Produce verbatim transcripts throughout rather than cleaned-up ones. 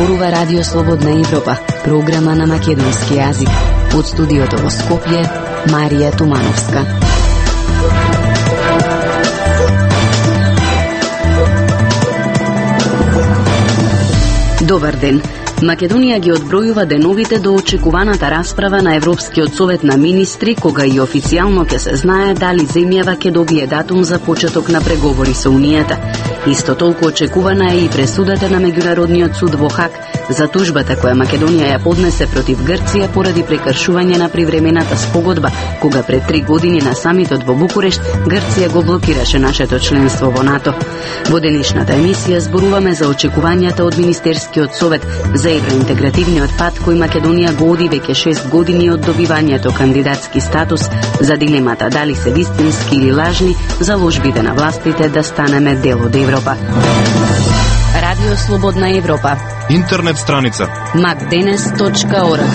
зборува Радио Слободна Европа, програма на македонски јазик. Од студиото во Скопје, Марија Тумановска. Добар ден. Македонија ги одбројува деновите до очекуваната расправа на Европскиот совет на министри, кога и официјално ќе се знае дали земјава ќе добие датум за почеток на преговори со Унијата. Исто толку очекувана е и пресудата на Меѓународниот суд во Хаг за тужбата која Македонија ја поднесе против Грција поради прекршување на привремената спогодба, кога пред три години на самитот во Букурешт Грција го блокираше нашето членство во НАТО. Во денешната емисија зборуваме за очекувањата од Министерскиот совет за евроинтегративниот пат кој Македонија го оди веќе шест години од добивањето кандидатски статус, за дилемата дали се вистински или лажни заложбите на властите да станеме дел од Европа. Радио Слободна Европа. Интернет страница макденес точка орг.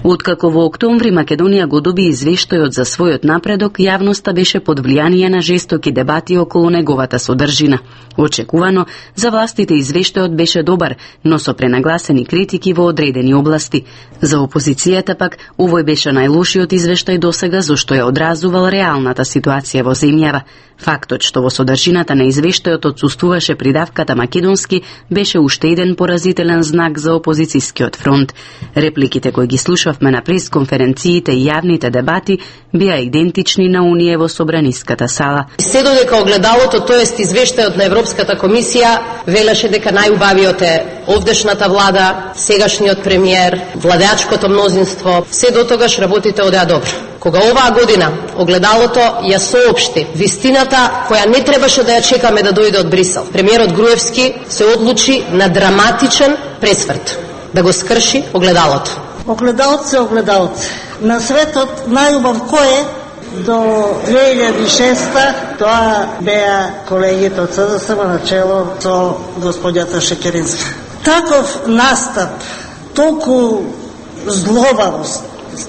Откако во октомври Македонија го доби извештајот за својот напредок, јавноста беше под влијание на жестоки дебати околу неговата содржина. Очекувано, за властите извештајот беше добар, но со пренагласени критики во одредени области. За опозицијата пак, овој беше најлошиот извештај досега, зашто ја одразувал реалната ситуација во земјава. Фактот што во содржината на извештајот отсуствуваше придавката македонски беше уште еден поразителен знак за опозицијскиот фронт. Репликите кои ги слушавме на пресконференциите и јавните дебати беа идентични на оние во собраниската сала. Се додека огледалото, тоест извештајот на Европската комисија, велеше дека најубавиот е овдешната влада, сегашниот премиер, владеачкото мнозинство, се до тогаш работите одеа добро. Кога оваа година огледалото ја соопшти вистината која не требаше да ја чекаме да дојде од Брисел, премиерот Груевски се одлучи на драматичен пресврт, да го скрши огледалото. Огледалце, огледалце. На светот најубав кој е? До две илјади и шеста тоа беа колегите од С Д С М на чело со господјата Шекеринска. Таков настап, толку злобавост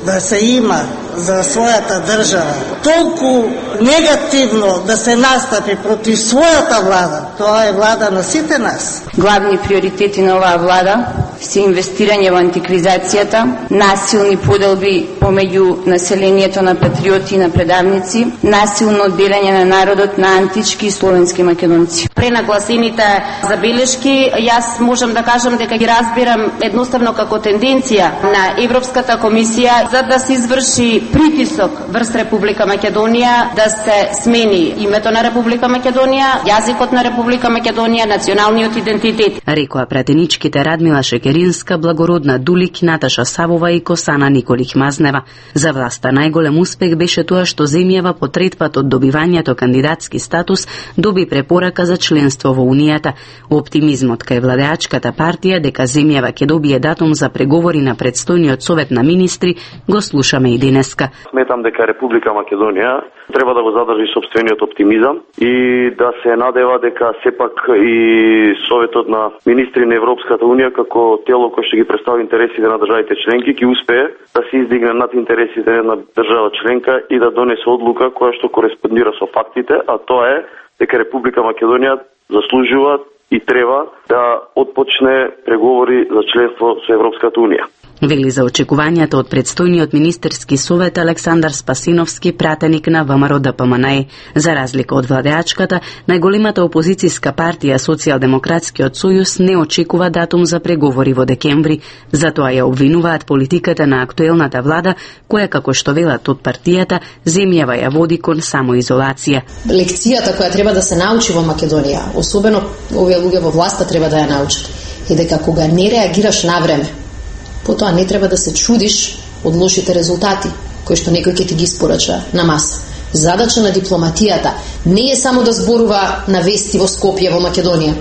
да се има за својата држава, толку негативно да се настапи против својата влада, тоа е влада на сите нас. Главни приоритети на оваа влада се инвестирање во антикризацијата, насилни поделби помеѓу населението на патриоти и на предавници, насилно одделање на народот на антички и словенски македонци. Пренагласените забелешки, јас можам да кажам дека ги разбирам едноставно како тенденција на Европската комисија за да се изврши притисок врз Република Македонија, да се смени името на Република Македонија, јазикот на Република Македонија, националниот идентитет. Рекоа пратеничките Радмила Шекеринска, Благородна Дулик, Наташа Савова и Косана Николих Мазнева. За власта најголем успех беше тоа што земјава по трет пат од добивањето кандидатски статус доби препорака за членство во Унијата. Оптимизмот кај владеачката партија дека земјава ќе добие датум за преговори на предстојниот совет на министри го слушаме и денеска. Сметам дека Република Македонија треба да го задржи собствениот оптимизам и да се надева дека сепак и Советот на министри на Европската Унија како тело кој ќе ги представи интересите на државите членки ќе успее да се издигне над интересите на држава членка и да донесе одлука која што кореспондира со фактите, а тоа е дека Република Македонија заслужува и треба да отпочне преговори за членство со Европската Унија. Вели за очекувањата од предстојниот министерски совет Александар Спасиновски, пратеник на В М Р Д П М Н Е. За разлика од владеачката, најголемата опозицијска партија Социјалдемократскиот сојуз не очекува датум за преговори во декември, затоа ја обвинуваат политиката на актуелната влада, која, како што велат од партијата, земјава ја води кон самоизолација. Лекцијата која треба да се научи во Македонија, особено овие луѓе во власта треба да ја научат, е дека кога не реагираш на време, потоа не треба да се чудиш од лошите резултати кои што некој ќе ти ги испорача на маса. Задача на дипломатијата не е само да зборува на вести во Скопје, во Македонија.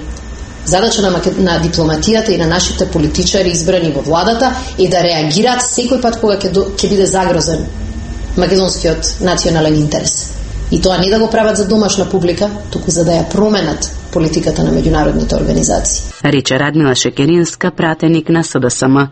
Задача на, Макед... на дипломатијата и на нашите политичари избрани во владата е да реагираат секој пат кога ќе, до... ќе биде загрозен македонскиот национален интерес. И тоа не да го прават за домашна публика, туку за да ја променат политиката на меѓународните организации. Рече Радмила Шекеринска, пратеник на С Д С М.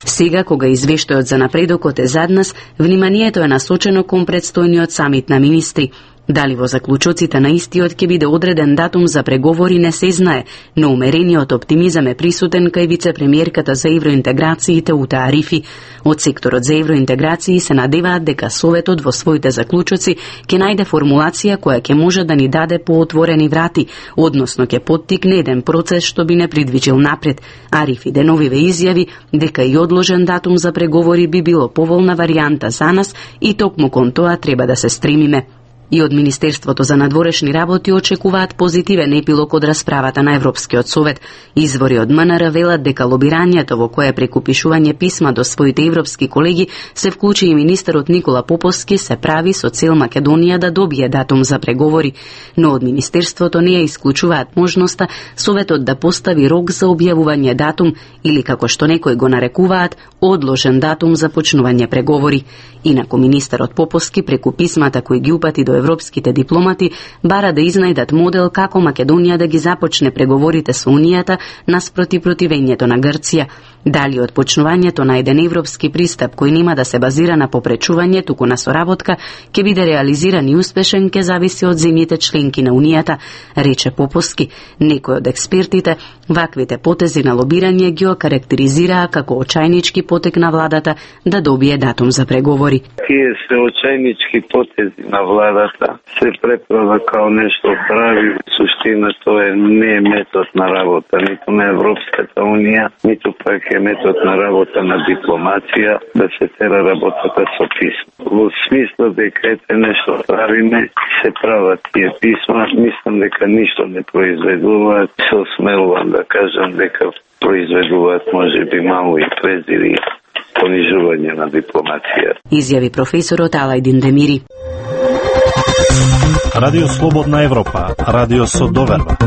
Сега, кога извештајот за напредокот е зад нас, вниманието е насочено кон предстојниот самит на министри. Дали во заклучоците на истиот ќе биде одреден датум за преговори не се знае, но умерениот оптимизам е присутен кај вице-премиерката за евроинтеграциите Ута Арифи. Од секторот за евроинтеграции се надеваат дека Советот во своите заклучоци ќе најде формулација која ќе може да ни даде поотворени врати, односно ќе поттикне еден процес што би не придвижил напред. Арифи деновиве изјави дека и одложен датум за преговори би било поволна варијанта за нас и токму кон тоа треба да се стремиме. И од Министерството за надворешни работи очекуваат позитивен епилог од расправата на Европскиот совет. Извори од МНР велат дека лобирањето во кое преку пишување писма до своите европски колеги се вклучи и министерот Никола Поповски се прави со цел Македонија да добие датум за преговори, но од Министерството не ја исклучуваат можноста Советот да постави рок за објавување датум или како што некои го нарекуваат одложен датум за почнување преговори. Инаку министерот Поповски преку писмата кои ги упати до европските дипломати бара да изнајдат модел како Македонија да ги започне преговорите со Унијата наспроти противењето на Грција. Дали од почнувањето на еден европски пристап кој нема да се базира на попречување туку на соработка ќе биде реализиран и успешен ќе зависи од земјите членки на Унијата, рече Поповски. Некои од експертите ваквите потези на лобирање ги окарактеризираа како очајнички потек на владата да добие датум за преговори. Тие се очајнички потези на владата се преправа као нешто прави, суштина тоа е не метод на работа ниту на Европската Унија, ниту пак е метод на работа на дипломација да се тера работата со писма. Во смисла дека ете нешто правиме, се прават тие писма, мислам дека ништо не произведуваат, се осмелувам да кажам дека произведуваат можеби мало и презири понижување на дипломација. Изјави професорот Алајдин Демири. Радио Слободна Европа, радио со доверба.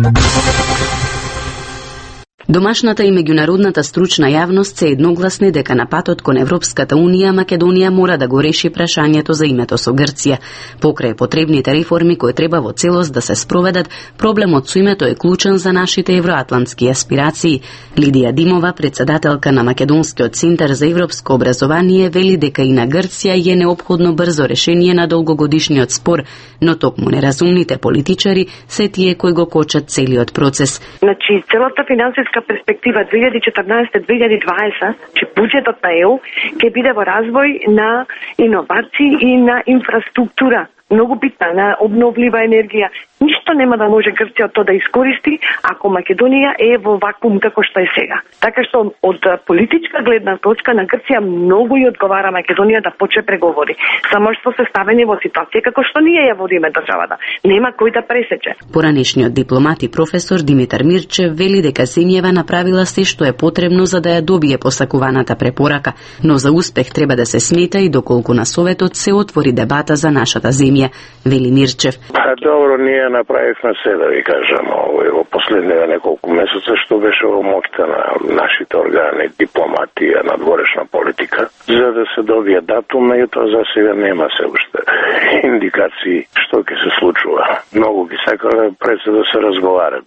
Домашната и меѓународната стручна јавност се едногласни дека на патот кон Европската Унија Македонија мора да го реши прашањето за името со Грција. Покрај потребните реформи кои треба во целост да се спроведат, проблемот со името е клучен за нашите евроатлантски аспирации. Лидија Димова, председателка на Македонскиот центар за европско образование, вели дека и на Грција е неопходно брзо решение на долгогодишниот спор, но токму неразумните политичари се тие кои го кочат целиот процес. Значи, целата финансиска перспектива две илјади и четрнаесетте до две илјади и дваесетта, че буџетот на ЕУ ќе биде во развој на иновации и на инфраструктура, многу битна, на обновлива енергија. Ништо нема да може Грција тоа да искористи ако Македонија е во вакуум како што е сега. Така што од политичка гледна точка на Грција многу и одговара Македонија да почне преговори. Само што се ставени во ситуација како што ние ја водиме државата. Нема кој да пресече. Поранешниот дипломат и професор Димитар Мирчев вели дека земјава направила се што е потребно за да ја добие посакуваната препорака, но за успех треба да се смета и доколку на Советот се отвори дебата за нашата земја, вели Мирчев. Добро, ние направивме се, да ви кажам, овој во последниве неколку месеца, што беше во моќта на нашите органи, дипломатија, надворешна политика, за да се добие датум, меѓутоа за сега нема се уште индикации што ќе се случува. Многу ги сакале пред се да се разговара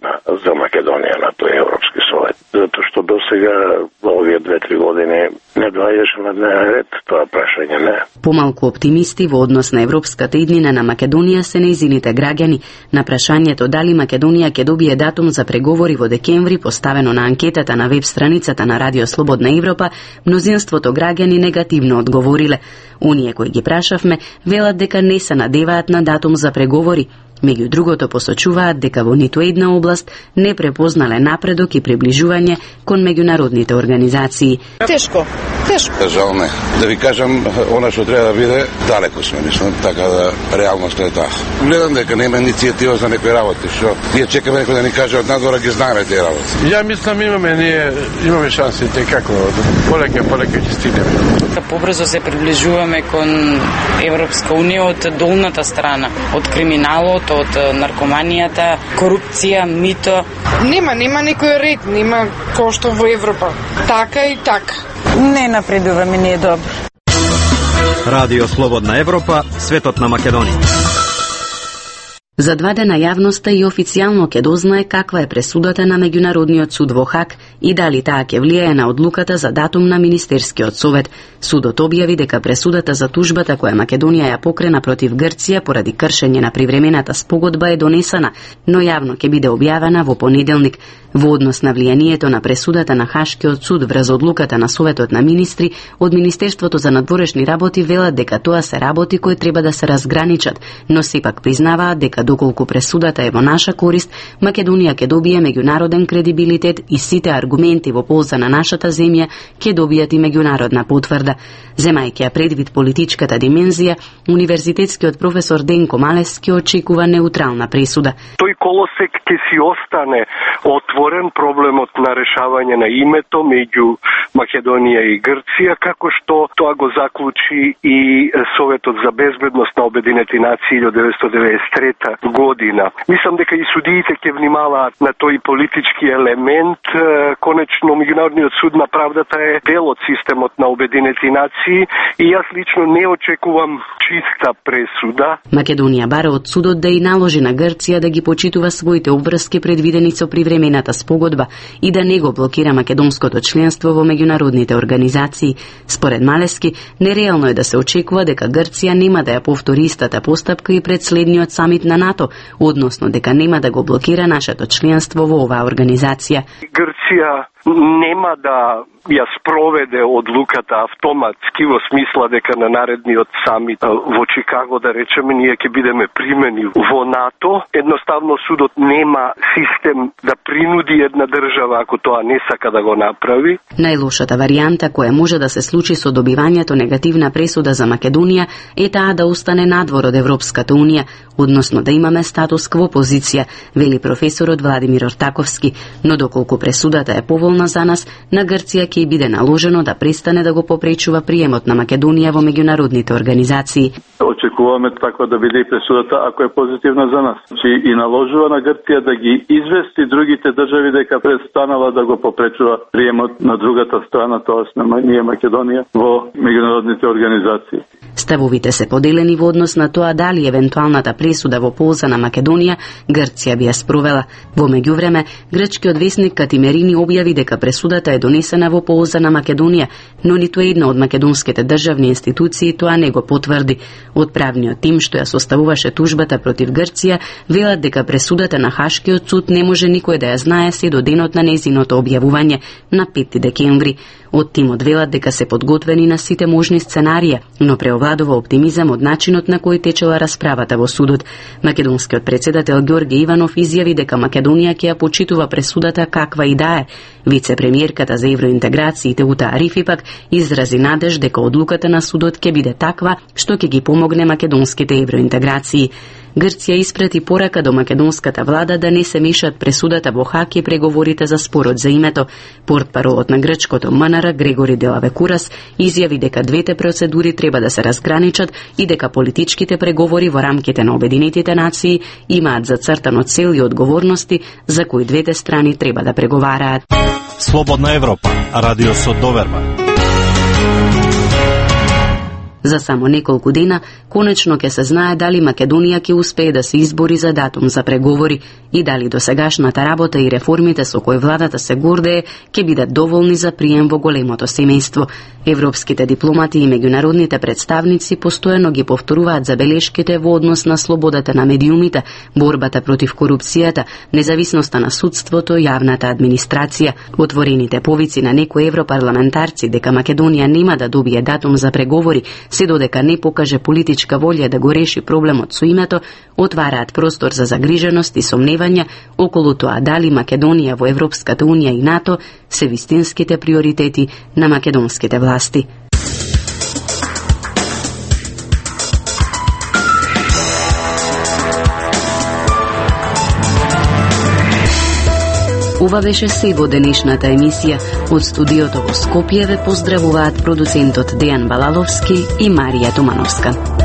за Македонија на тој Европски совет, затоа што до сега во овие две-три години не доаѓаше на дневен ред тоа прашање, не. Помалку оптимисти во однос на европската иднина на Македонија се нејзините граѓани. На прашањето дали Македонија ќе добие датум за преговори во декември, поставено на анкетата на веб страницата на Радио Слободна Европа, мнозинството граѓани негативно одговориле. Оние кои ги прашавме велат дека не се надеваат на датум за преговори. Меѓу другото посочуваат дека во ниту една област не препознале напредок и приближување кон меѓународните организации. Тешко, тешко. Жал не. Да ви кажам, она што треба да биде, далеко сме, мислам, така да реалноста е таа. Гледам дека нема иницијатива за некои работи, што ние чекаме некој да ни каже од надвора, ги знаеме тие работи. Ја мислам имаме ние имаме шанси како полека полека ќе стигнеме. Побрзо се приближуваме кон Европска унија од долната страна, од криминалот, од наркоманијата, корупција, мито. Нема, нема некој ред, нема кој што во Европа. Така и така. Не напредуваме, не е добро. Радио Слободна Европа, светот на Македонија. За два дена јавноста и официјално ќе дознае каква е пресудата на Меѓународниот суд во Хаг и дали таа ќе влијае на одлуката за датум на Министерскиот совет. Судот објави дека пресудата за тужбата која Македонија ја покрена против Грција поради кршење на привремената спогодба е донесена, но јавно ќе биде објавена во понеделник. Во однос на влијанието на пресудата на Хашкиот суд врз одлуката на Советот на министри, од Министерството за надворешни работи велат дека тоа се работи кои треба да се разграничат, но сепак признаваат дека доколку пресудата е во наша корист, Македонија ќе добие меѓународен кредибилитет и сите аргументи во полза на нашата земја ќе добијат и меѓународна потврда. Земајќи ја предвид политичката димензија, универзитетскиот професор Денко Малевски очекува неутрална пресуда. Тој колосек ќе си остане отворен, проблемот на решавање на името меѓу Македонија и Грција, како што тоа го заклучи и Советот за безбедност на Обединети нации илјадесетстотини деветдесет и трета година. Мислам дека и судиите ќе внимаваат на тој политички елемент. Конечно, Меѓународниот суд на правдата е дел од системот на Обединети нации и јас лично не очекувам чиста пресуда. Македонија бара од судот да и наложи на Грција да ги почитува своите обврски предвидени со привремената спогодба и да не го блокира македонското членство во меѓународните организации. Според Малевски, нереално е да се очекува дека Грција нема да ја повтори истата постапка и пред следниот самит на НАТО, односно дека нема да го блокира нашето членство во оваа организација. Грција нема да ја спроведе одлуката автоматски во смисла дека на наредниот самит во Чикаго, да речеме, ние ќе бидеме примени во НАТО. Едноставно судот нема систем да принуди една држава ако тоа не сака да го направи. Најлошата варијанта која може да се случи со добивањето негативна пресуда за Македонија е таа да остане надвор од Европската унија, односно да имаме статус кво позиција, вели професорот Владимир Ортаковски, но доколку пресудата е поволна за нас, на Грција ќе биде наложено да престане да го попречува приемот на Македонија во меѓународните организации. Очекуваме таква да биде и пресудата ако е позитивна за нас. Чи и наложува на Грција да ги извести другите држави дека престанала да го попречува приемот на другата страна, тоест на ние Македонија во меѓународните организации. Ставовите се поделени во однос на тоа дали евентуалната пресуда во полза на Македонија Грција би ја спровела. Во меѓувреме, грчкиот весник Катимерини објави дека пресудата е донесена во полза на Македонија, но ниту една од македонските државни институции тоа не го потврди. Од правниот тим што ја составуваше тужбата против Грција, велат дека пресудата на Хашкиот суд не може никој да ја знае се до денот на нејзиното објавување на пети декември. Од тимот велат дека се подготвени на сите можни сценарија, но преовладува оптимизам од начинот на кој течела расправата во судот. Македонскиот председател Ѓорѓе Иванов изјави дека Македонија ќе ја почитува пресудата каква и да е. Вице-премиерката за евроинтеграциите Ута Арифи пак изрази надеж дека одлуката на судот ќе биде таква што ќе ги помогне македонските евроинтеграции. Грција испрати порака до македонската влада да не се мешат пресудата во Хаг и преговорите за спорот за името. Портпаролот на грчкото М Н Р Грегори Делавекурас изјави дека двете процедури треба да се разграничат и дека политичките преговори во рамките на Обединетите нации имаат зацртано цел и одговорности за кои двете страни треба да преговараат. Слободна Европа, радио со доверба. За само неколку дена, конечно ќе се знае дали Македонија ќе успее да се избори за датум за преговори и дали досегашната работа и реформите со кои владата се гордее ќе бидат доволни за прием во големото семејство. Европските дипломати и меѓународните представници постојано ги повторуваат забелешките во однос на слободата на медиумите, борбата против корупцијата, независноста на судството и јавната администрација. Отворените повици на некои европарламентарци дека Македонија нема да добие датум за преговори се додека не покаже политичка волја да го реши проблемот со името, отвараат простор за загриженост и сомневања околу тоа дали Македонија во Европската унија и НАТО се вистинските приоритети на македонските власти. Ова беше се во денешната емисија. Од студиото во Скопје ве поздравуваат продуцентот Дејан Балаловски и Марија Тумановска.